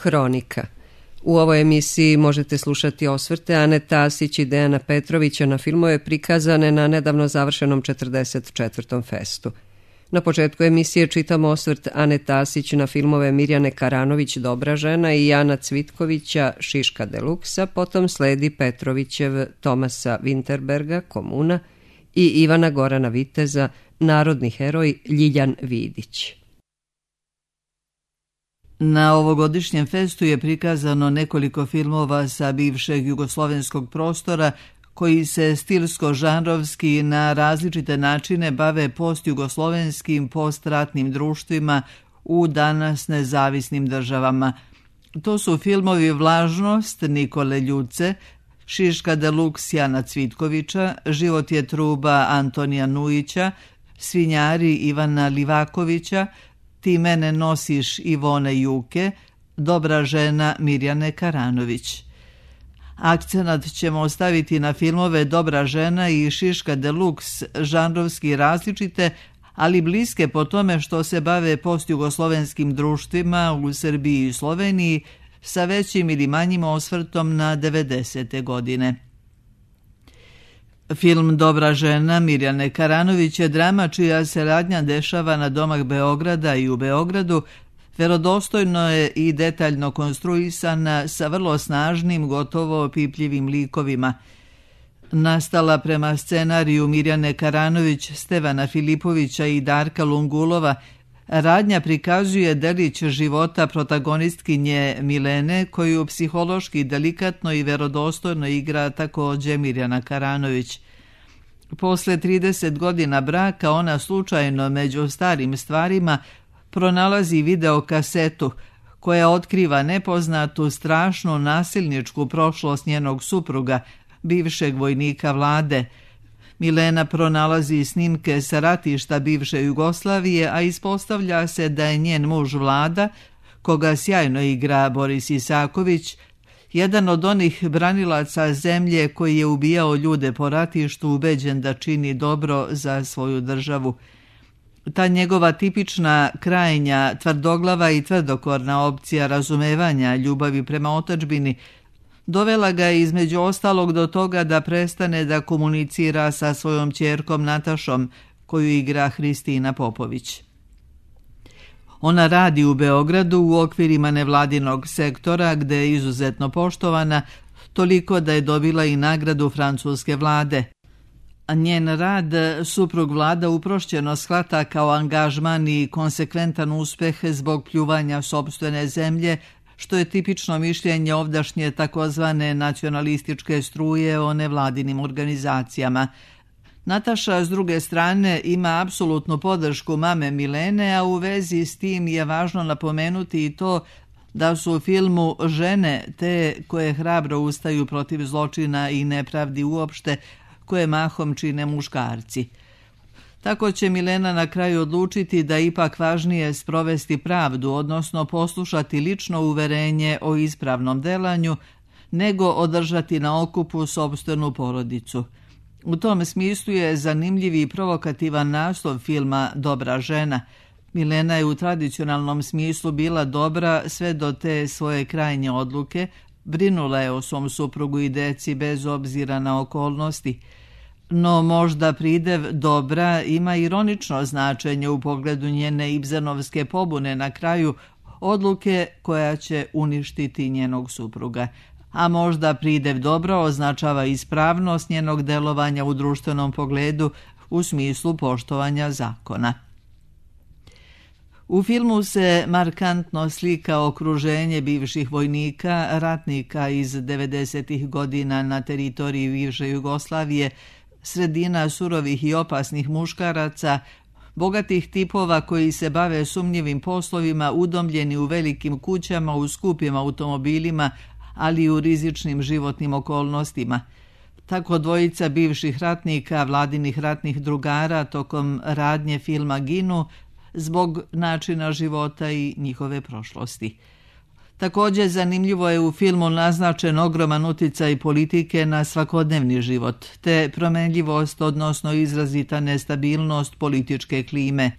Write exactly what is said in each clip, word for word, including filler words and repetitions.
Hronika. U ovoj emisiji možete slušati osvrte Ane Tasić i Dejana Petrovića na filmove prikazane na nedavno završenom četrdeset četvrtom festu. Na početku emisije čitamo osvrt Ane Tasić na filmove Mirjane Karanović Dobra žena i Jana Cvitkovića Šiška deluksa, potom sledi Petrovićev Tomasa Winterberga Komuna i Ivana Gorana Viteza Narodni heroj Ljiljan Vidić. Na ovogodišnjem festu je prikazano nekoliko filmova sa bivšeg jugoslovenskog prostora koji se stilsko-žanrovski na različite načine bave postjugoslovenskim postratnim društvima u danas nezavisnim državama. To su filmovi Vlažnost Nikole Ljuce, Šiška deluks Jana Cvitkovića, Život je truba Antonija Nujića, Svinjari Ivana Livakovića, Ti mene nosiš Ivone Juke, Dobra žena Mirjane Karanović. Akcenat ćemo ostaviti na filmove Dobra žena i Šiška deluks, žanrovski različite, ali bliske po tome što se bave postjugoslovenskim društvima u Srbiji i Sloveniji sa većim ili manjim osvrtom na devedesete godine. Film Dobra žena Mirjane Karanović je drama čija se radnja dešava na domak Beograda i u Beogradu, verodostojno je i detaljno konstruisana sa vrlo snažnim, gotovo opipljivim likovima. Nastala prema scenariju Mirjane Karanović, Stevana Filipovića i Darka Lungulova, radnja prikazuje delić života protagonistkinje Milene, koju psihološki delikatno i verodostojno igra također Mirjana Karanović. Posle trideset godina braka ona slučajno među starim stvarima pronalazi videokasetu koja otkriva nepoznatu, strašnu nasilničku prošlost njenog supruga, bivšeg vojnika Vlade. Milena pronalazi snimke sa ratišta bivše Jugoslavije, a ispostavlja se da je njen muž Vlada, koga sjajno igra Boris Isaković, jedan od onih branilaca zemlje koji je ubijao ljude po ratištu, ubeđen da čini dobro za svoju državu. Ta njegova tipična, krajnja, tvrdoglava i tvrdokorna opcija razumevanja ljubavi prema otadžbini dovela ga između ostalog do toga da prestane da komunicira sa svojom ćerkom Natašom, koju igra Hristina Popović. Ona radi u Beogradu u okvirima nevladinog sektora gde je izuzetno poštovana, toliko da je dobila i nagradu francuske vlade. A njen rad suprug Vlada uprošćeno shvata kao angažman i konsekventan uspeh zbog pljuvanja sopstvene zemlje, što je tipično mišljenje ovdašnje takozvane nacionalističke struje o nevladinim organizacijama. Nataša, s druge strane, ima apsolutnu podršku mame Milene, a u vezi s tim je važno napomenuti i to da su u filmu žene te koje hrabro ustaju protiv zločina i nepravdi uopšte, koje mahom čine muškarci. Tako će Milena na kraju odlučiti da ipak važnije sprovesti pravdu, odnosno poslušati lično uverenje o ispravnom delanju, nego održati na okupu sopstvenu porodicu. U tom smislu je zanimljiv i provokativan naslov filma Dobra žena. Milena je u tradicionalnom smislu bila dobra sve do te svoje krajnje odluke, brinula je o svom suprugu i deci bez obzira na okolnosti. No možda pridev dobra ima ironično značenje u pogledu njene Ibsenovske pobune na kraju, odluke koja će uništiti njenog supruga. A možda pridev dobro označava ispravnost njenog delovanja u društvenom pogledu u smislu poštovanja zakona. U filmu se markantno slika okruženje bivših vojnika, ratnika iz devedesetih godina na teritoriji bivše Jugoslavije, sredina surovih i opasnih muškaraca, bogatih tipova koji se bave sumnjivim poslovima, udomljeni u velikim kućama, u skupim automobilima, ali i u rizičnim životnim okolnostima. Tako dvojica bivših ratnika, vladinih ratnih drugara, tokom radnje filma ginu zbog načina života i njihove prošlosti. Također zanimljivo je u filmu naznačen ogroman uticaj politike na svakodnevni život, te promenljivost, odnosno izrazita nestabilnost političke klime.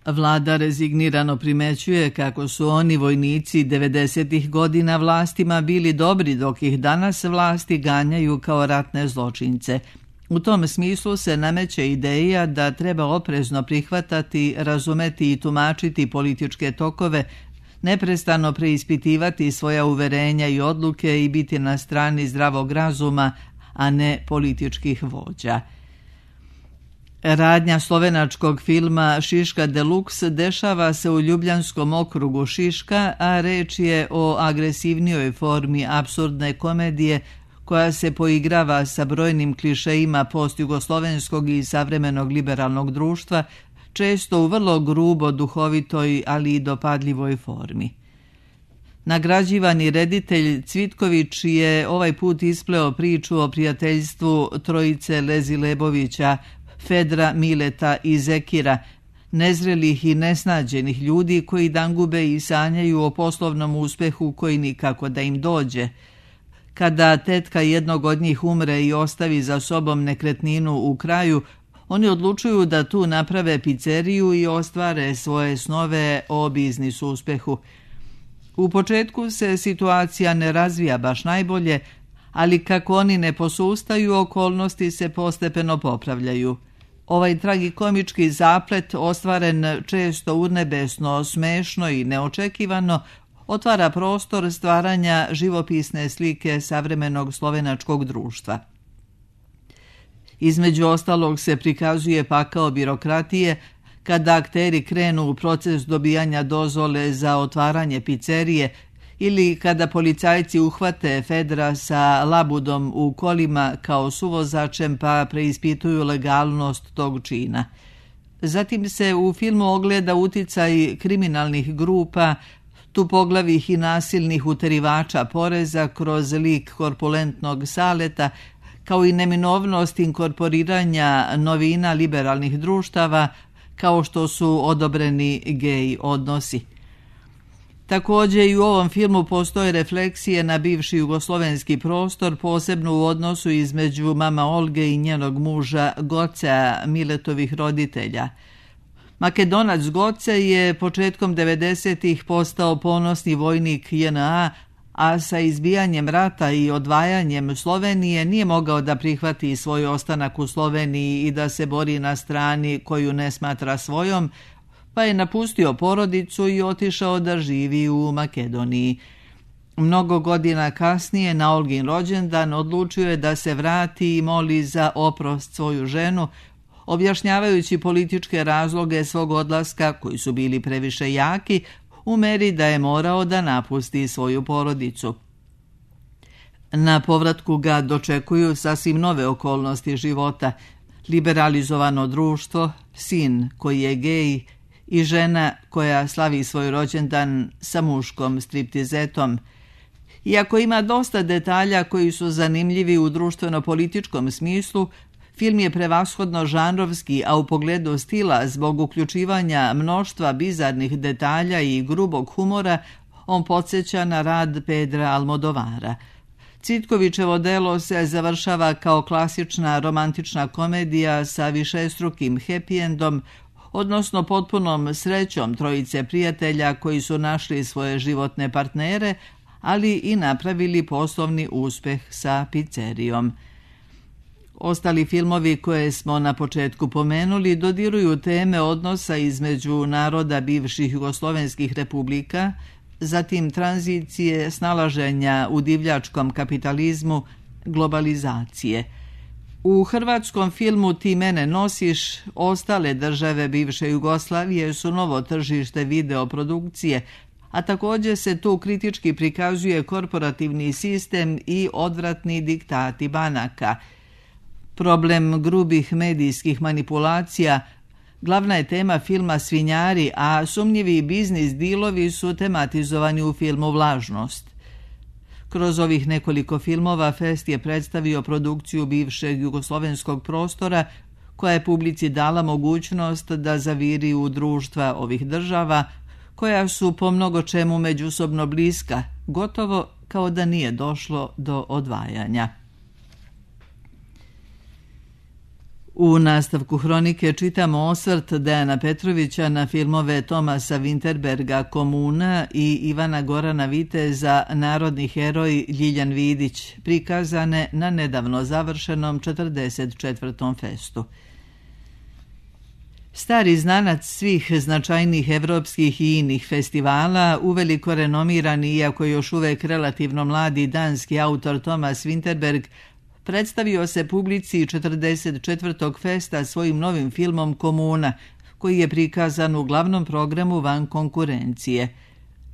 Vlada rezignirano primećuje kako su oni vojnici devedesetih godina vlastima bili dobri, dok ih danas vlasti ganjaju kao ratne zločince. U tom smislu se nameće ideja da treba oprezno prihvatati, razumeti i tumačiti političke tokove, neprestano preispitivati svoja uverenja i odluke i biti na strani zdravog razuma, a ne političkih vođa. Radnja slovenačkog filma Šiška Deluxe dešava se u Ljubljanskom okrugu Šiška, a reč je o agresivnijoj formi apsurdne komedije koja se poigrava sa brojnim klišejima postjugoslovenskog i savremenog liberalnog društva, često u vrlo grubo, duhovitoj, ali i dopadljivoj formi. Nagrađivani reditelj Cvitković je ovaj put ispleo priču o prijateljstvu trojice Lezi Lebovića, Fedra, Mileta i Zekira, nezrelih i nesnađenih ljudi koji dangube i sanjaju o poslovnom uspehu koji nikako da im dođe. Kada tetka jednog od njih umre i ostavi za sobom nekretninu u kraju, oni odlučuju da tu naprave pizzeriju i ostvare svoje snove o biznis uspehu. U početku se situacija ne razvija baš najbolje, ali kako oni ne posustaju, okolnosti se postepeno popravljaju. Ovaj tragikomički zaplet, ostvaren često urnebesno, smešno i neočekivano, otvara prostor stvaranja živopisne slike savremenog slovenačkog društva. Između ostalog se prikazuje pakao birokratije kada akteri krenu u proces dobijanja dozvole za otvaranje pizzerije ili kada policajci uhvate Fedra sa labudom u kolima kao suvozačem pa preispituju legalnost tog čina. Zatim se u filmu ogleda uticaj kriminalnih grupa, tupoglavih i nasilnih uterivača poreza kroz lik korpulentnog Saleta, kao i neminovnost inkorporiranja novina liberalnih društava, kao što su odobreni gej odnosi. Također i u ovom filmu postoje refleksije na bivši jugoslovenski prostor, posebno u odnosu između mama Olge i njenog muža Gocea, Miletovih roditelja. Makedonac Goce je početkom devedesetih postao ponosni vojnik J N A, a sa izbijanjem rata i odvajanjem Slovenije nije mogao da prihvati svoj ostanak u Sloveniji i da se bori na strani koju ne smatra svojom, pa je napustio porodicu i otišao da živi u Makedoniji. Mnogo godina kasnije, na Olgin rođendan, odlučio je da se vrati i moli za oprost svoju ženu, objašnjavajući političke razloge svog odlaska, koji su bili previše jaki, u meri da je morao da napusti svoju porodicu. Na povratku ga dočekuju sasvim nove okolnosti života, liberalizovano društvo, sin koji je gej i žena koja slavi svoj rođendan sa muškom striptizetom. Iako ima dosta detalja koji su zanimljivi u društveno-političkom smislu, film je prevashodno žanrovski, a u pogledu stila, zbog uključivanja mnoštva bizarnih detalja i grubog humora, on podsjeća na rad Pedra Almodovara. Cvitkovićevo delo se završava kao klasična romantična komedija sa višestrukim happy endom, odnosno potpunom srećom trojice prijatelja koji su našli svoje životne partnere, ali i napravili poslovni uspeh sa pizzerijom. Ostali filmovi koje smo na početku pomenuli dodiruju teme odnosa između naroda bivših jugoslovenskih republika, zatim tranzicije, snalaženja u divljačkom kapitalizmu, globalizacije. U hrvatskom filmu Ti mene nosiš, ostale države bivše Jugoslavije su novo tržište videoprodukcije, a također se tu kritički prikazuje korporativni sistem i odvratni diktati banaka. Problem grubih medijskih manipulacija glavna je tema filma Svinjari, a sumnjivi biznis dilovi su tematizovani u filmu Vlažnost. Kroz ovih nekoliko filmova Fest je predstavio produkciju bivšeg jugoslovenskog prostora koja je publici dala mogućnost da zaviri u društva ovih država koja su po mnogo čemu međusobno bliska, gotovo kao da nije došlo do odvajanja. U nastavku hronike čitamo osvrt Dejana Petrovića na filmove Tomasa Vinterberga Komuna i Ivana Gorana Viteza Narodni heroj Ljiljan Vidić, prikazane na nedavno završenom četrdeset četvrtom festu. Stari znanac svih značajnih evropskih i inih festivala, uveliko renomirani, iako još uvek relativno mladi danski autor Tomas Vinterberg, predstavio se publici četrdeset četvrtog festa svojim novim filmom Komuna, koji je prikazan u glavnom programu van konkurencije.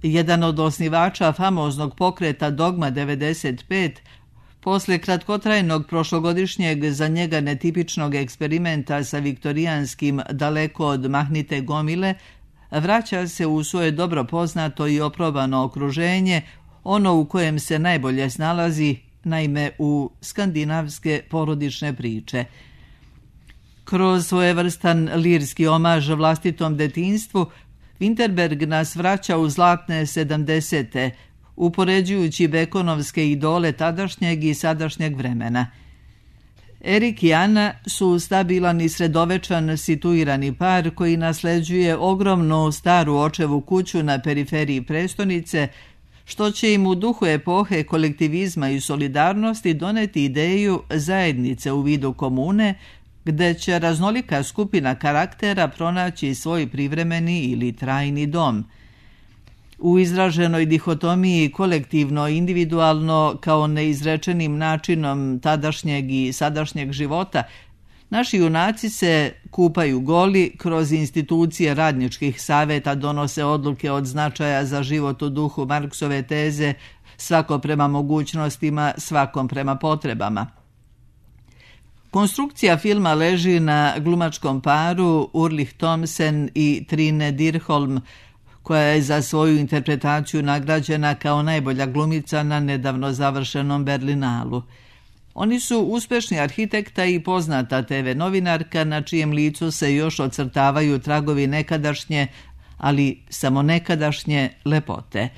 Jedan od osnivača famoznog pokreta Dogma devedeset pet, posle kratkotrajnog prošlogodišnjeg za njega netipičnog eksperimenta sa viktorijanskim Daleko od mahnite gomile, vraća se u svoje dobro poznato i oprobano okruženje, ono u kojem se najbolje snalazi, naime u skandinavske porodične priče. Kroz svojevrstan lirski omaž vlastitom detinjstvu, Vinterberg nas vraća u zlatne sedamdesete, upoređujući bekonovske idole tadašnjeg i sadašnjeg vremena. Erik i Ana su stabilan i sredovečan situirani par koji nasleđuje ogromnu staru očevu kuću na periferiji prestonice, što će im u duhu epohe kolektivizma i solidarnosti doneti ideju zajednice u vidu komune, gde će raznolika skupina karaktera pronaći svoj privremeni ili trajni dom. U izraženoj dihotomiji kolektivno-individualno kao neizrečenim načinom tadašnjeg i sadašnjeg života, naši junaci se kupaju goli, kroz institucije radničkih saveta donose odluke od značaja za život u duhu Marksove teze, svako prema mogućnostima, svakom prema potrebama. Konstrukcija filma leži na glumačkom paru Ulrich Thomsen i Trine Dyrholm, koja je za svoju interpretaciju nagrađena kao najbolja glumica na nedavno završenom Berlinalu. Oni su uspešni arhitekta i poznata te ve novinarka, na čijem licu se još ocrtavaju tragovi nekadašnje, ali samo nekadašnje lepote.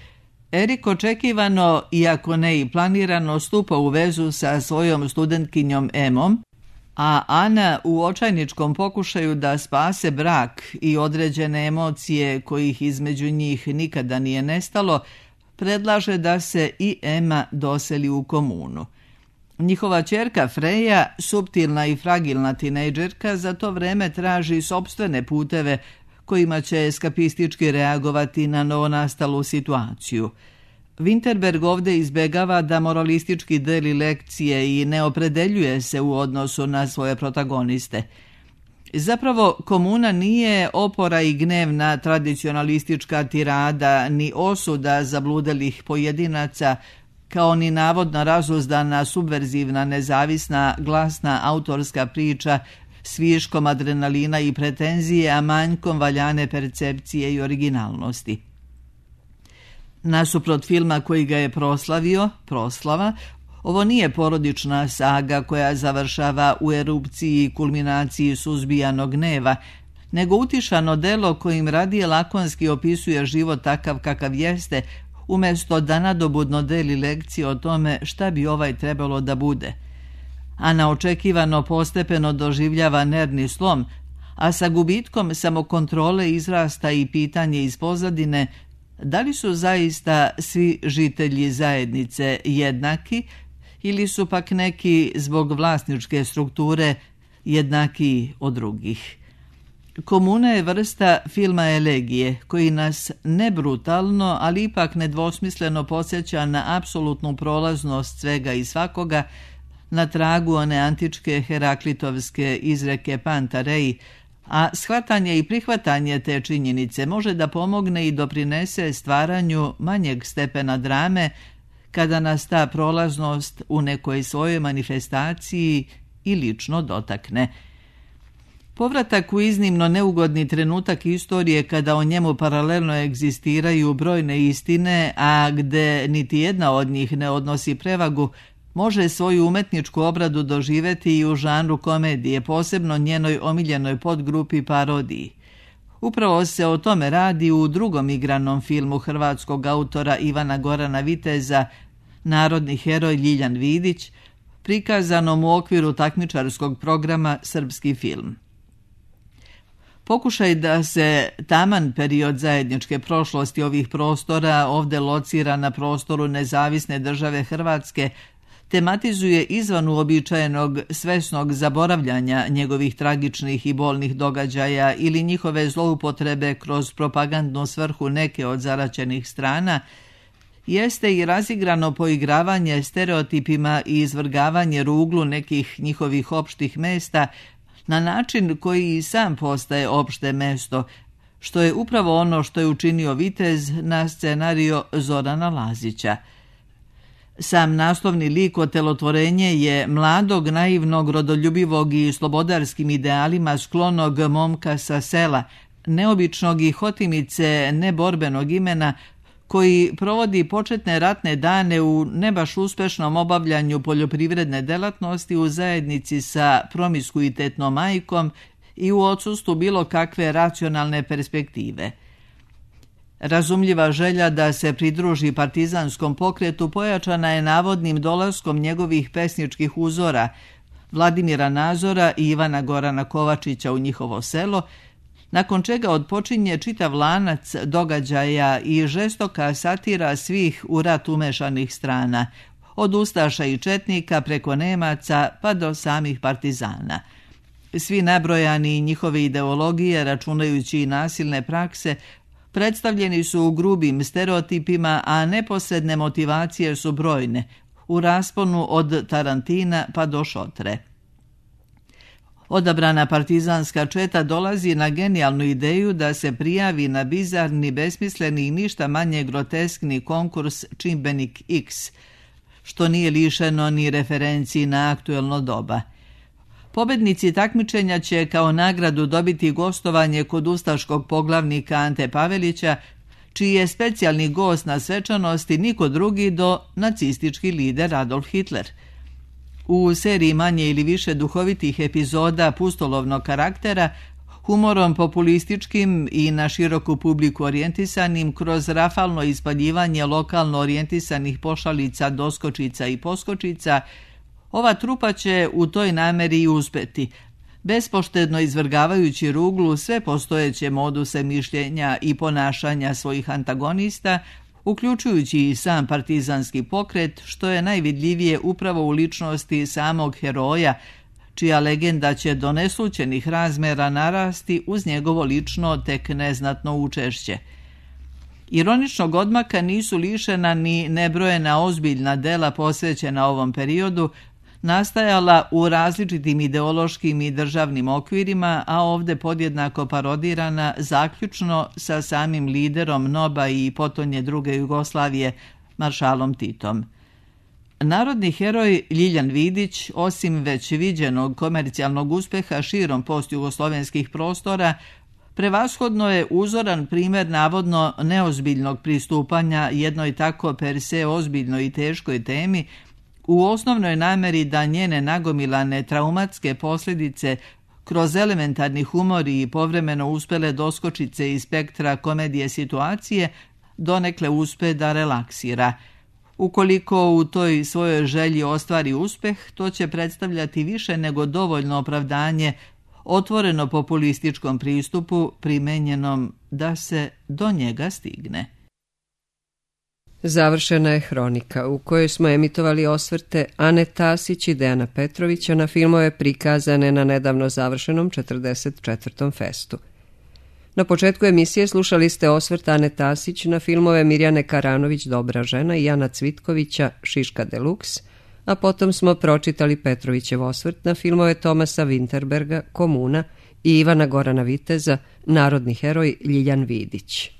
Erik očekivano, iako ne i planirano, stupa u vezu sa svojom studentkinjom Emom, a Ana u očajničkom pokušaju da spase brak i određene emocije kojih između njih nikada nije nestalo, predlaže da se i Ema doseli u komunu. Njihova ćerka Freja, suptilna i fragilna tinejdžerka, za to vreme traži sopstvene puteve kojima će eskapistički reagovati na novonastalu situaciju. Vinterberg ovdje izbegava da moralistički deli lekcije i ne opredeljuje se u odnosu na svoje protagoniste. Zapravo, Komuna nije opora i gnevna tradicionalistička tirada, ni osuda zabludelih pojedinaca, kao ni navodno razuzdana, subverzivna, nezavisna, glasna autorska priča s viškom adrenalina i pretenzije, a manjkom valjane percepcije i originalnosti. Nasuprot filma koji ga je proslavio, Proslava, ovo nije porodična saga koja završava u erupciji i kulminaciji suzbijanog gneva, nego utišano delo kojim radije lakonski opisuje život takav kakav jeste, umjesto da nadobudno deli lekcije o tome šta bi ovaj trebalo da bude. Ana očekivano postepeno doživljava nervni slom, a sa gubitkom samokontrole izrasta i pitanje iz pozadine da li su zaista svi žitelji zajednice jednaki ili su pak neki zbog vlasničke strukture jednaki od drugih. Komuna je vrsta filma elegije koji nas ne brutalno, ali ipak nedvosmisleno podsjeća na apsolutnu prolaznost svega i svakoga, na tragu one antičke Heraklitovske izreke Panta rei, a shvatanje i prihvatanje te činjenice može da pomogne i doprinese stvaranju manjeg stepena drame kada nas ta prolaznost u nekoj svojoj manifestaciji i lično dotakne. Povratak u iznimno neugodni trenutak istorije kada o njemu paralelno egzistiraju brojne istine, a gde niti jedna od njih ne odnosi prevagu, može svoju umetničku obradu doživeti i u žanru komedije, posebno njenoj omiljenoj podgrupi parodiji. Upravo se o tome radi u drugom igranom filmu hrvatskog autora Ivana Gorana Viteza, Narodni heroj Ljiljan Vidić, prikazanom u okviru takmičarskog programa Srpski film. Pokušaj da se taman period zajedničke prošlosti ovih prostora, ovde locira na prostoru nezavisne države Hrvatske, tematizuje izvan uobičajenog svesnog zaboravljanja njegovih tragičnih i bolnih događaja ili njihove zloupotrebe kroz propagandnu svrhu neke od zaraćenih strana, jeste i razigrano poigravanje stereotipima i izvrgavanje ruglu nekih njihovih opštih mesta na način koji i sam postaje opšte mesto, što je upravo ono što je učinio Vitez na scenario Zorana Lazića. Sam naslovni lik otelotvorenje je mladog, naivnog, rodoljubivog i slobodarskim idealima sklonog momka sa sela, neobičnog i hotimice neborbenog imena, koji provodi početne ratne dane u ne baš uspešnom obavljanju poljoprivredne delatnosti u zajednici sa promiskuitetnom majkom i u odsustvu bilo kakve racionalne perspektive. Razumljiva želja da se pridruži partizanskom pokretu pojačana je navodnim dolaskom njegovih pesničkih uzora, Vladimira Nazora i Ivana Gorana Kovačića u njihovo selo, nakon čega odpočinje čitav lanac događaja i žestoka satira svih u rat umešanih strana, od ustaša i četnika preko Nemaca pa do samih partizana. Svi nabrojani njihove ideologije, računajući i nasilne prakse, predstavljeni su u grubim stereotipima, a neposredne motivacije su brojne, u rasponu od Tarantina pa do Šotre. Odabrana partizanska četa dolazi na genijalnu ideju da se prijavi na bizarni, besmisleni i ništa manje groteskni konkurs Čimbenik X, što nije lišeno ni referenciji na aktuelno doba. Pobednici takmičenja će kao nagradu dobiti gostovanje kod ustaškog poglavnika Ante Pavelića, čiji je specijalni gost na svečanosti niko drugi do nacistički lider Adolf Hitler. U seriji manje ili više duhovitih epizoda pustolovnog karaktera, humorom populističkim i na široku publiku orijentisanim kroz rafalno ispaljivanje lokalno orijentisanih pošalica, doskočica i poskočica, ova trupa će u toj nameri i uspeti, bespoštedno izvrgavajući ruglu sve postojeće moduse mišljenja i ponašanja svojih antagonista, uključujući i sam partizanski pokret, što je najvidljivije upravo u ličnosti samog heroja, čija legenda će do neslućenih razmera narasti uz njegovo lično tek neznatno učešće. Ironičnog odmaka nisu lišena ni nebrojena ozbiljna dela posvećena ovom periodu, nastajala u različitim ideološkim i državnim okvirima, a ovde podjednako parodirana zaključno sa samim liderom N O B A i potonje druge Jugoslavije, maršalom Titom. Narodni heroj Ljiljan Vidić, osim već viđenog komercijalnog uspeha širom postjugoslovenskih prostora, prevashodno je uzoran primjer navodno neozbiljnog pristupanja jednoj tako per se ozbiljnoj i teškoj temi, u osnovnoj nameri da njene nagomilane traumatske posljedice kroz elementarni humor i povremeno uspele doskočice iz spektra komedije situacije donekle uspe da relaksira. Ukoliko u toj svojoj želji ostvari uspeh, to će predstavljati više nego dovoljno opravdanje otvoreno populističkom pristupu primenjenom da se do njega stigne. Završena je hronika u kojoj smo emitovali osvrte Ane Tasić i Dejana Petrovića na filmove prikazane na nedavno završenom četrdeset četvrtom festu. Na početku emisije slušali ste osvrt Ane Tasić na filmove Mirjane Karanović Dobra žena i Jana Cvitkovića Šiška Deluxe, a potom smo pročitali Petrovićev osvrt na filmove Tomasa Winterberga Komuna i Ivana Gorana Viteza Narodni heroj Ljiljan Vidić.